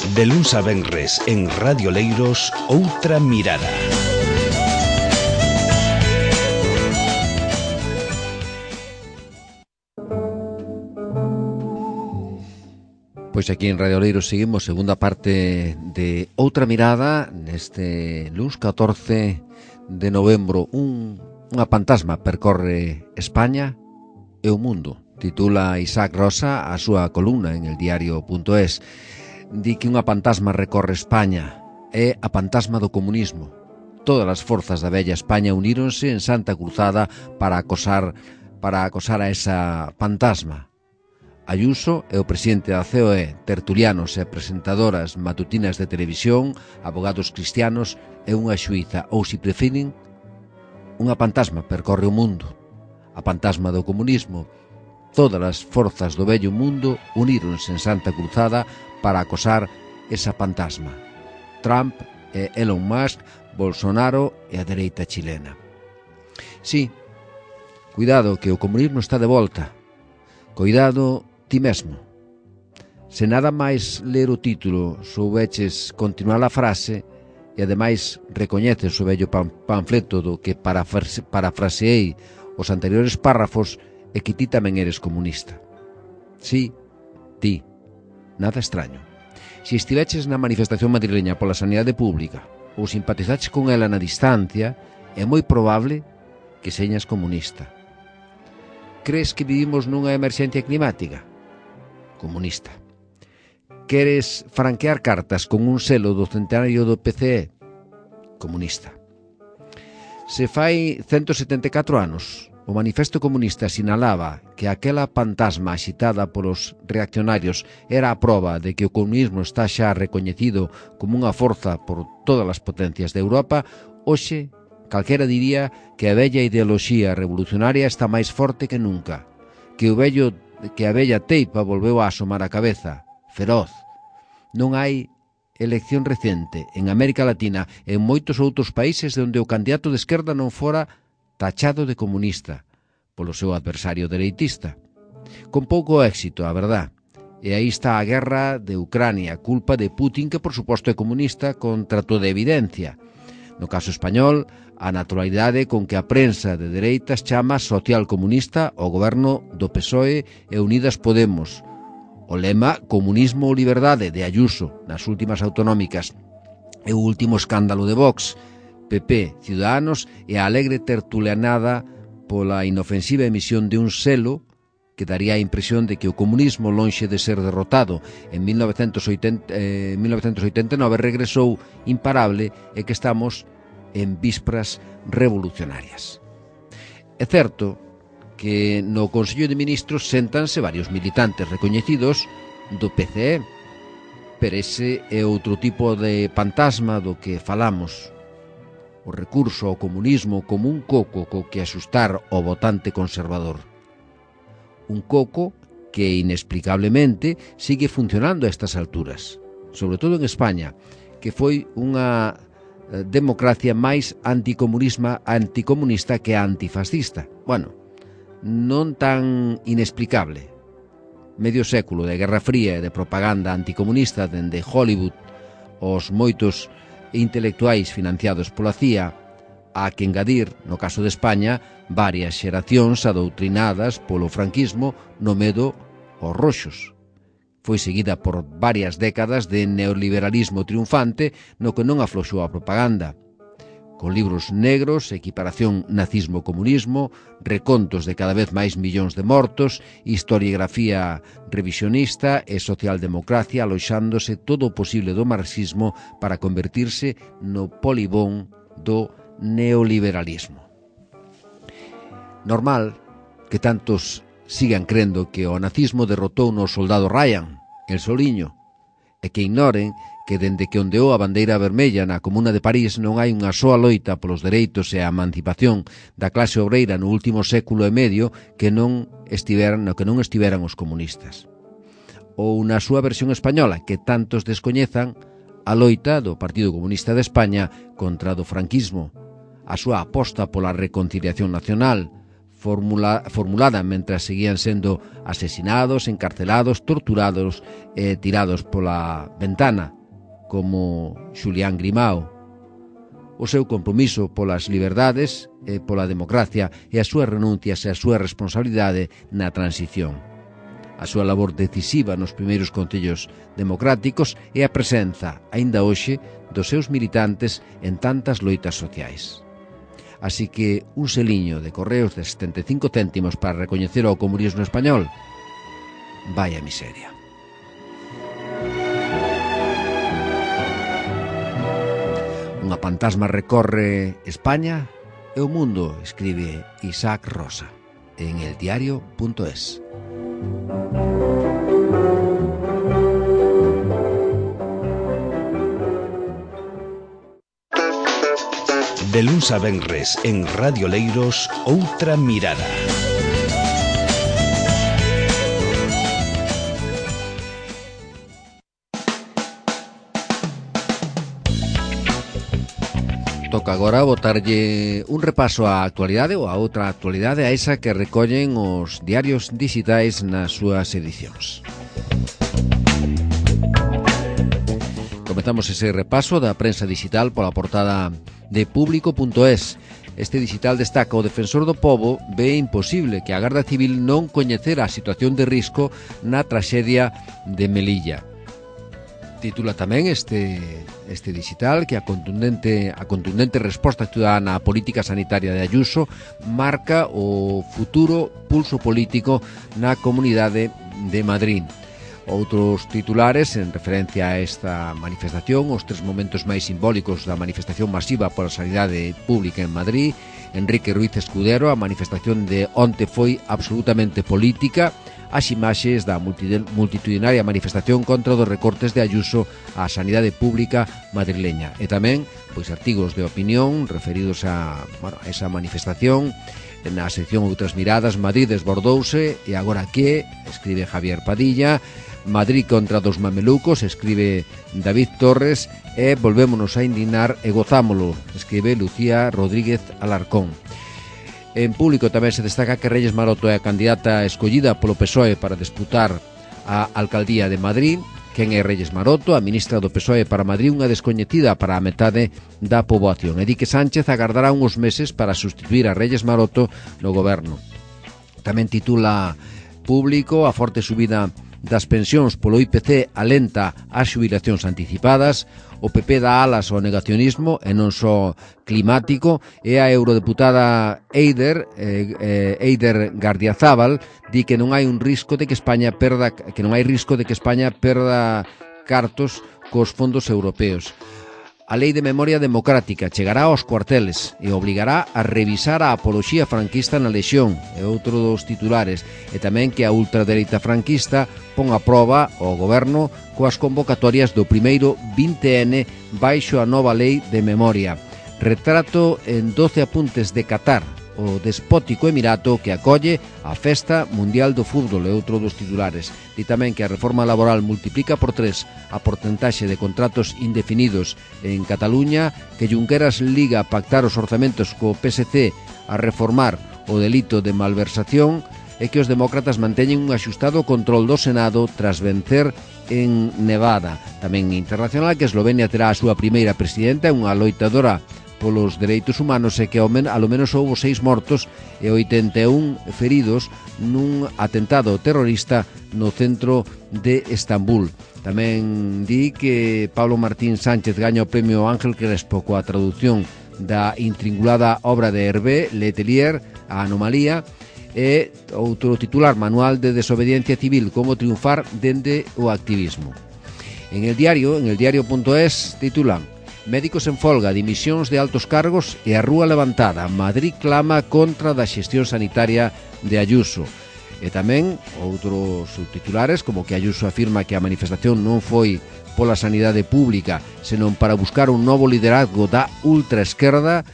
De luns a venres en Radio Leiros, Outra Mirada. Pois aquí en Radio Leiros seguimos segunda parte de Outra Mirada neste luns 14 de novembro. Unha pantasma percorre España e o mundo. Titula Isaac Rosa a súa columna en el diario.es. Di que unha pantasma recorre España. É a pantasma do comunismo. Todas as forzas da bella España uníronse en Santa Cruzada para acosar a esa pantasma. Ayuso é o presidente da COE, tertulianos e presentadoras matutinas de televisión, abogados cristianos e unha xuíza, ou se prefiren, unha pantasma percorre o mundo. A pantasma do comunismo. Todas as forzas do vello mundo uníronse en Santa Cruzada para acosar esa pantasma. Trump e Elon Musk, Bolsonaro e a dereita chilena. Sí, cuidado que o comunismo está de volta. Cuidado ti mesmo. Se nada máis ler o título soubeches continuar a frase e ademais recoñeces o vello panfleto do que parafraseei os anteriores párrafos e que ti tamén eres comunista. Sí, ti. Nada extraño. Se estiveches na manifestación madrileña pola sanidade pública ou simpatizaches con ela na distancia, é moi probable que señas comunista. Crees que vivimos nunha emerxencia climática? Comunista. Queres franquear cartas con un selo do centenario do PCE? Comunista. Se fai 174 anos, o Manifesto Comunista sinalaba que aquela pantasma axitada polos reaccionarios era a proba de que o comunismo está xa recoñecido como unha forza por todas as potencias de Europa. Hoxe, calquera diría que a vella ideoloxía revolucionaria está máis forte que nunca, que a vella teipa volveu a asomar a cabeza, feroz. Non hai elección recente en América Latina e en moitos outros países onde o candidato de esquerda non fora tachado de comunista polo seu adversario dereitista. Con pouco éxito, a verdad. E aí está a guerra de Ucrania, culpa de Putin, que por suposto é comunista contra toda evidencia. No caso español, a naturalidade con que a prensa de dereitas chama socialcomunista ao goberno do PSOE e Unidas Podemos. O lema comunismo ou liberdade de Ayuso nas últimas autonómicas e o último escándalo de Vox, PP, Ciudadanos e a alegre tertulianada pola inofensiva emisión de un selo que daría a impresión de que o comunismo, lonxe de ser derrotado en 1989, regresou imparable e que estamos en vísperas revolucionarias. É certo que no Consello de Ministros séntanse varios militantes recoñecidos do PCE, pero ese é outro tipo de fantasma do que falamos. O recurso ao comunismo como un coco co que asustar o votante conservador. Un coco que inexplicablemente sigue funcionando a estas alturas, sobre todo en España, que foi unha democracia máis anticomunista que antifascista. Bueno, non tan inexplicable. Medio século de Guerra Fría e de propaganda anticomunista dende Hollywood, os moitos intelectuais financiados pola CIA, a que engadir, no caso de España, varias xeracións adoutrinadas polo franquismo no medo aos roxos. Foi seguida por varias décadas de neoliberalismo triunfante no que non afloxou a propaganda, con libros negros, equiparación nazismo-comunismo, recontos de cada vez máis millóns de mortos, historiografía revisionista e socialdemocracia aloxándose todo o posible do marxismo para convertirse no polibón do neoliberalismo. Normal que tantos sigan crendo que o nazismo derrotou no soldado Ryan, el soliño, e que ignoren que dende que ondeou a bandeira vermella na Comuna de París non hai unha soa loita polos dereitos e a emancipación da clase obreira no último século e medio que non estiveran os comunistas. Ou na súa versión española, que tantos descoñezan, a loita do Partido Comunista de España contra do franquismo, a súa aposta pola reconciliación nacional, formulada mentras seguían sendo asesinados, encarcelados, torturados e tirados pola ventana, como Xulián Grimao. O seu compromiso polas liberdades e pola democracia e as súas renuncias e a súa responsabilidade na transición. A súa labor decisiva nos primeiros concellos democráticos e a presenza, aínda hoxe, dos seus militantes en tantas loitas sociais. Así que un seliño de correos de 75 céntimos para recoñecer ao comunismo español. Vaya miseria. Unha pantasma recorre España e o mundo, escribe Isaac Rosa en eldiario.es. De luns a venres en Radio Leiros, Outra Mirada. Toca agora botarlle un repaso á actualidade ou a outra actualidade, a esa que recollen os diarios digitais nas súas edicións. Comezamos ese repaso da prensa digital pola portada de Público.es. Este digital destaca: o defensor do pobo ve imposible que a Garda Civil non coñecera a situación de risco na traxedia de Melilla. Titula tamén este digital que a contundente resposta ciudadana á política sanitaria de Ayuso marca o futuro pulso político na Comunidade de Madrid. Outros titulares en referencia a esta manifestación, os 3 momentos máis simbólicos da manifestación masiva pola sanidade pública en Madrid. Enrique Ruiz Escudero: a manifestación de onte foi absolutamente política. As imaxes da multitudinaria manifestación contra os recortes de Ayuso á sanidade pública madrileña. E tamén artigos de opinión referidos a esa manifestación. Na sección Outras Miradas, Madrid desbordouse e agora que, escribe Javier Padilla. Madrid contra dos mamelucos, escribe David Torres. E volvémonos a indignar e gozámolo, escribe Lucía Rodríguez Alarcón. En Público tamén se destaca que Reyes Maroto é a candidata escollida polo PSOE para disputar a alcaldía de Madrid. Quen é Reyes Maroto? A ministra do PSOE para Madrid, unha descoñecida para a metade da poboación. E di que Sánchez agardará uns meses para sustituir a Reyes Maroto no goberno. Tamén titula Público: a forte subida das pensións polo IPC alenta as xubilacións anticipadas. O PP dá alas ao negacionismo e non só climático. E a eurodeputada Eider Gardiazabal di que non hai risco de que España perda cartos cos fondos europeos. A Lei de Memoria Democrática chegará aos cuarteles e obligará a revisar a apoloxía franquista na Lexión, é outro dos titulares. E tamén que a ultradereita franquista pon a proba ao goberno coas convocatorias do primeiro 20N baixo a nova Lei de Memoria. Retrato en 12 apuntes de Qatar, o despótico emirato que acolle a Festa Mundial do Fútbol, é outro dos titulares. Di tamén que a reforma laboral multiplica por 3 a porcentaxe de contratos indefinidos en Cataluña, que Junqueras liga a pactar os orzamentos co PSC a reformar o delito de malversación e que os demócratas manteñen un axustado control do Senado tras vencer en Nevada. Tamén internacional que Eslovenia terá a súa primeira presidenta, unha loitadora polos dereitos humanos, e que ao menos houbo 6 mortos e 81 feridos nun atentado terrorista no centro de Estambul. Tamén di que Pablo Martín Sánchez gaña o premio Ángel Crespo coa traducción da intringulada obra de Hervé Letelier, A Anomalía. E outro titular: Manual de desobediencia civil, como triunfar dende o activismo. En el diario.es titulan: médicos en folga, dimisións de altos cargos e a rúa levantada. Madrid clama contra da xestión sanitaria de Ayuso. E tamén outros subtitulares, como que Ayuso afirma que a manifestación non foi pola sanidade pública, senón para buscar un novo liderazgo da ultraesquerda.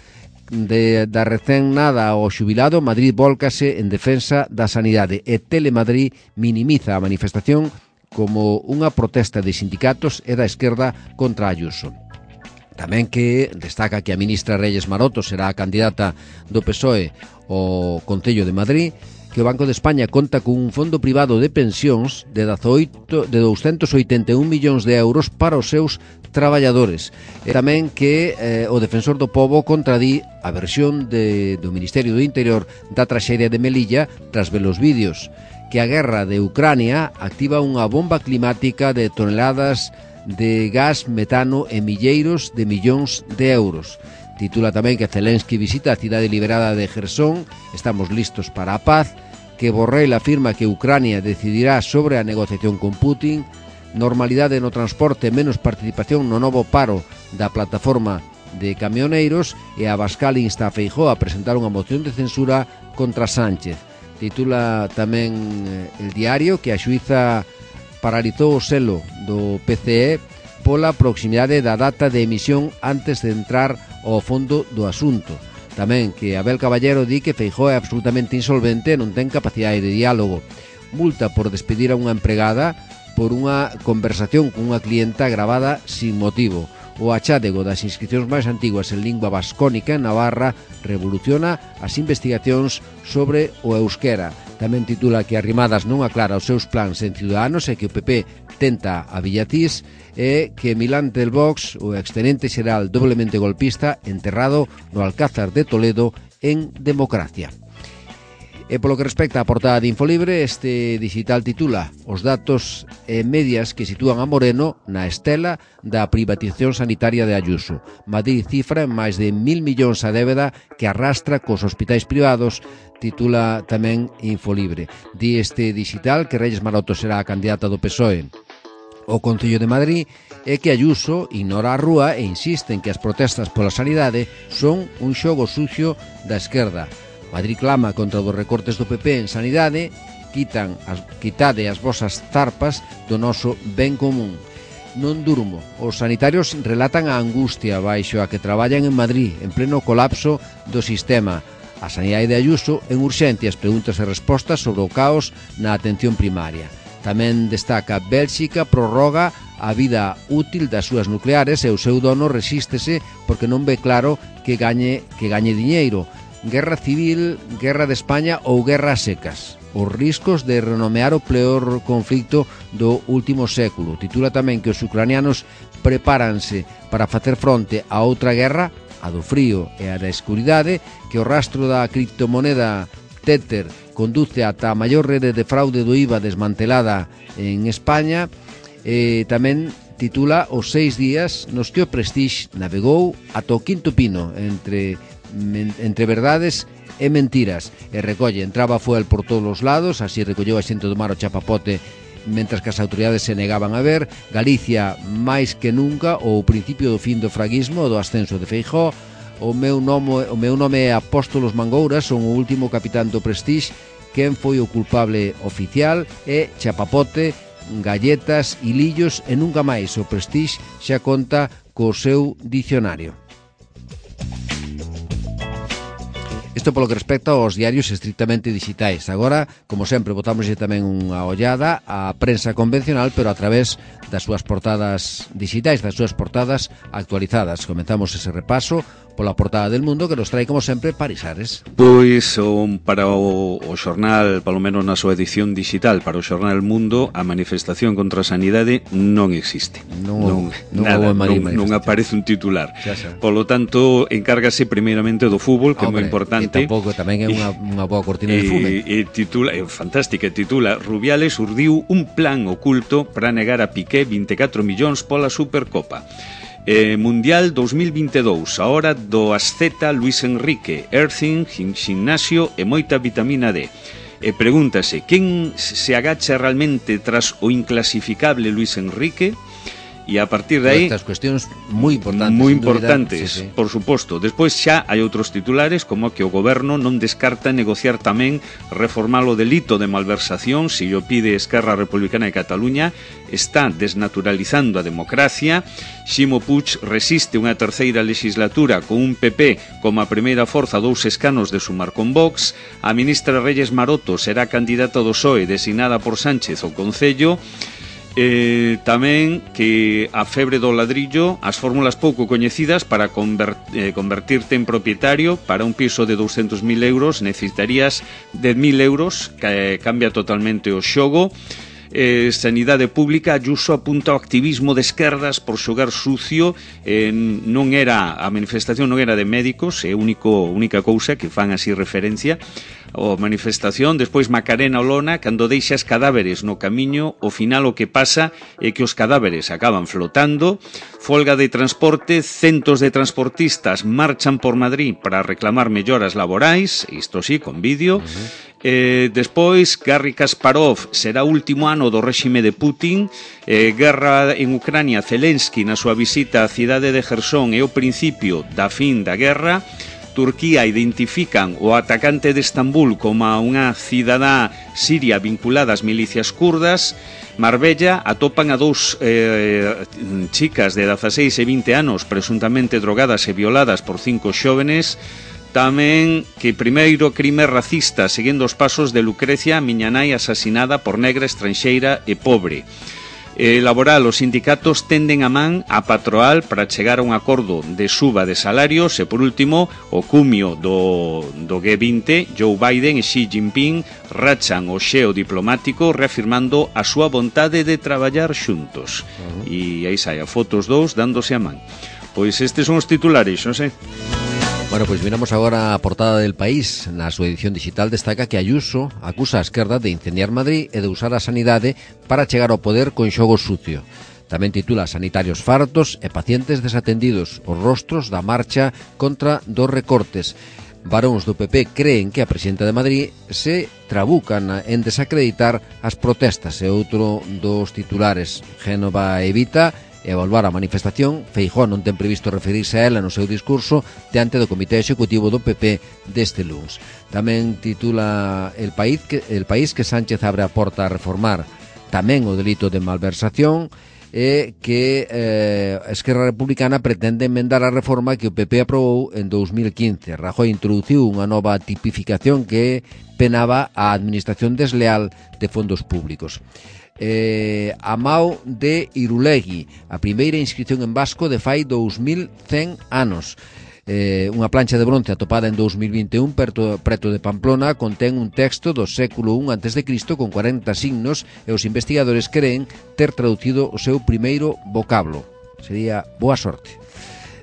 Da recén nada ao xubilado, Madrid vólcase en defensa da sanidade. E Telemadrid minimiza a manifestación como unha protesta de sindicatos e da esquerda contra Ayuso. Tamén que destaca que a ministra Reyes Maroto será a candidata do PSOE ao Concello de Madrid, que o Banco de España conta cun fondo privado de pensións de 281 millóns de euros para os seus traballadores. E tamén que o Defensor do Pobo contradí a versión do Ministerio do Interior da traxedia de Melilla tras ver os vídeos, que a guerra de Ucrania activa unha bomba climática de toneladas de gas metano e milleiros de millóns de euros. Titula tamén que Zelensky visita a cidade liberada de Jersón, estamos listos para a paz, que Borrell afirma que Ucrania decidirá sobre a negociación con Putin, normalidade no transporte, menos participación no novo paro da plataforma de camioneiros e Abascal insta a Feijóo a presentar unha moción de censura contra Sánchez. Titula tamén El Diario que a xuíza paralizou o selo do PCE pola proximidade da data de emisión antes de entrar ao fondo do asunto. Tamén que Abel Caballero di que Feijóo é absolutamente insolvente e non ten capacidade de diálogo. Multa por despedir a unha empregada por unha conversación con unha clienta gravada sin motivo. O achádego das inscripcións máis antiguas en lingua vascónica en Navarra revoluciona as investigacións sobre o euskera. Tamén titula que Arrimadas non aclara os seus plans en Ciudadanos e que o PP tenta a Villatís e que Milán del Vox, o extenente xeral doblemente golpista, enterrado no Alcázar de Toledo en Democracia. E polo que respecta á portada de Infolibre, este digital titula Os datos e medias que sitúan a Moreno na estela da privatización sanitaria de Ayuso. Madrid cifra en máis de 1.000 millóns a débeda que arrastra cos hospitais privados, titula tamén Infolibre. Di este digital que Reyes Maroto será a candidata do PSOE o Concello de Madrid é que Ayuso ignora a rúa e insiste en que as protestas pola sanidade son un xogo sucio da esquerda. Madrid clama contra os recortes do PP en sanidade, quitade as vosas zarpas do noso ben común. Non durmo. Os sanitarios relatan a angustia baixo a que traballan en Madrid, en pleno colapso do sistema. A sanidade de Ayuso en urxencias, preguntas e respostas sobre o caos na atención primaria. Tamén destaca Bélxica prorroga a vida útil das súas nucleares e o seu dono resístese porque non ve claro que gañe diñeiro. Guerra civil, guerra de España ou guerra a secas. Os riscos de renomear o peor conflicto do último século. Titula tamén que os ucranianos prepáranse para facer fronte a outra guerra, a do frío e a da escuridade, que o rastro da criptomoneda Tether conduce ata a maior rede de fraude do IVA desmantelada en España. Tamén titula os 6 días nos que o Prestige navegou ata o quinto pino entre verdades e mentiras e recolle entraba fuel por todos os lados, así recolleu a xente do mar o chapapote mentras que as autoridades se negaban a ver. Galicia máis que nunca o principio do fin do fraguismo, do ascenso de Feijóo. O meu nome é Apóstolos Mangouras, son o último capitán do Prestige. Quen foi o culpable oficial é chapapote, galletas, hilillos e nunca máis. O Prestige xa conta co seu dicionario. Isto polo que respecta aos diarios estrictamente digitais. Agora, como sempre, botámoslle tamén unha ollada á prensa convencional, pero a través das súas portadas digitais, das súas portadas actualizadas. Comenzamos ese repaso pola portada del Mundo, que nos trae, como sempre, Paris Ares. Pois, para o xornal, palo menos na súa edición digital, para o xornal El Mundo, a manifestación contra a sanidade non existe. Non aparece un titular. Polo tanto, encárgase primeiramente do fútbol, que é moi importante. E tampouco tamén é unha boa cortina de fume. Titula, é fantástica, titula Rubiales urdiu un plan oculto para negar a Piqué 24 millóns pola Supercopa. Mundial 2022, a hora do asceta Luis Enrique, earthing, gimnasio e moita vitamina D. Pregúntase, quen se agacha realmente tras o inclasificable Luis Enrique? E a partir de aí... Estas cuestións moi importantes. Moi importantes, sí. Por suposto. Despois xa hai outros titulares, como que o goberno non descarta negociar tamén reformar o delito de malversación, se o pide Esquerra Republicana de Cataluña, está desnaturalizando a democracia. Ximo Puig resiste unha terceira legislatura con un PP como a primeira forza 2 escanos de sumar con Vox. A ministra Reyes Maroto será candidata do PSOE designada por Sánchez ao Concello. Tamén que a febre do ladrillo, as fórmulas pouco coñecidas para convertirte en propietario. Para un piso de 200.000 euros necesitarías 10.000 euros, que cambia totalmente o xogo. Sanidade Pública, Ayuso apunta ao activismo de esquerdas por xogar sucio. Non era, a manifestación non era de médicos, é única cousa que fan así referencia a manifestación. Despois Macarena Olona, cando deixas cadáveres no camiño, ao final o que pasa é que os cadáveres acaban flotando. Folga de transporte, centos de transportistas marchan por Madrid para reclamar melloras laborais, isto sí, con vídeo. Despois, Garry Kasparov, será o último ano do réxime de Putin. Guerra en Ucrania, Zelensky na súa visita á cidade de Jersón é o principio da fin da guerra. Turquía identifican o atacante de Estambul como unha cidadá siria vinculada ás milicias kurdas. Marbella, atopan a dous chicas de 16 e 20 anos presuntamente drogadas e violadas por 5 xóvenes. Tamén que primeiro crime racista seguindo os pasos de Lucrecia, a miña nai asasinada por negra, estranxeira e pobre. Laboral, os sindicatos tenden a man a patronal para chegar a un acordo de suba de salarios. E por último, o cumio do G20, Joe Biden e Xi Jinping rachan o xeo diplomático reafirmando a súa vontade de traballar xuntos. E aí sai a fotos dous dándose a man. Pois estes son os titulares, non sei. Bueno, pois miramos agora a portada del País. Na súa edición digital destaca que Ayuso acusa a esquerda de incendiar Madrid e de usar a sanidade para chegar ao poder con xogo sucio. Tamén titula Sanitarios fartos e pacientes desatendidos, os rostros da marcha contra dos recortes. Varóns do PP creen que a presidenta de Madrid se trabucan en desacreditar as protestas. E outro dos titulares, Génova evita evaluar a manifestación. Feijóo non ten previsto referirse a ela no seu discurso diante do Comité Executivo do PP deste luns. Tamén titula El País que Sánchez abre a porta a reformar tamén o delito de malversación e que Esquerra Republicana pretende enmendar a reforma que o PP aprobou en 2015. Rajoy introduciu unha nova tipificación que penaba a administración desleal de fondos públicos. Amao de Irulegui, a primeira inscripción en vasco de fai 2100 anos. Unha plancha de bronce atopada en 2021 preto de Pamplona contén un texto do século I a.C. con 40 signos e os investigadores creen ter traducido o seu primeiro vocablo. Sería boa sorte.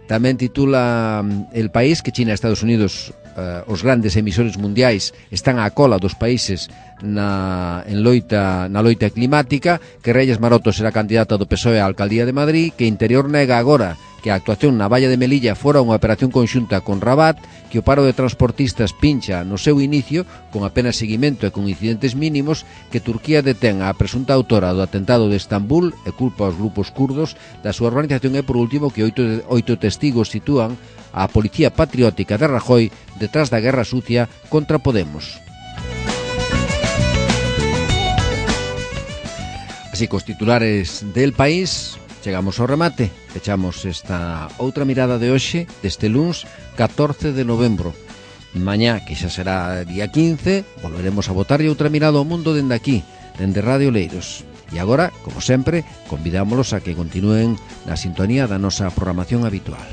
Tamén titula El País que China e Estados Unidos, os grandes emisores mundiais, están á cola dos países na loita climática, que Reyes Maroto será candidata do PSOE á alcaldía de Madrid, que Interior nega agora que a actuación na valla de Melilla fora unha operación conxunta con Rabat, que o paro de transportistas pincha no seu inicio con apenas seguimento e con incidentes mínimos, que Turquía detén a presunta autora do atentado de Estambul e culpa aos grupos kurdos da súa organización, e por último que oito testigos sitúan a Policía Patriótica de Rajoy detrás da guerra sucia contra Podemos. Así, cos titulares del País, chegamos ao remate. Fechamos esta outra mirada de hoxe, deste luns 14 de novembro. Mañá, que xa será día 15, volveremos a botarlle outra mirada ao mundo dende aquí, dende Radio Leiros. E agora, como sempre, convidámolos a que continúen na sintonía da nosa programación habitual.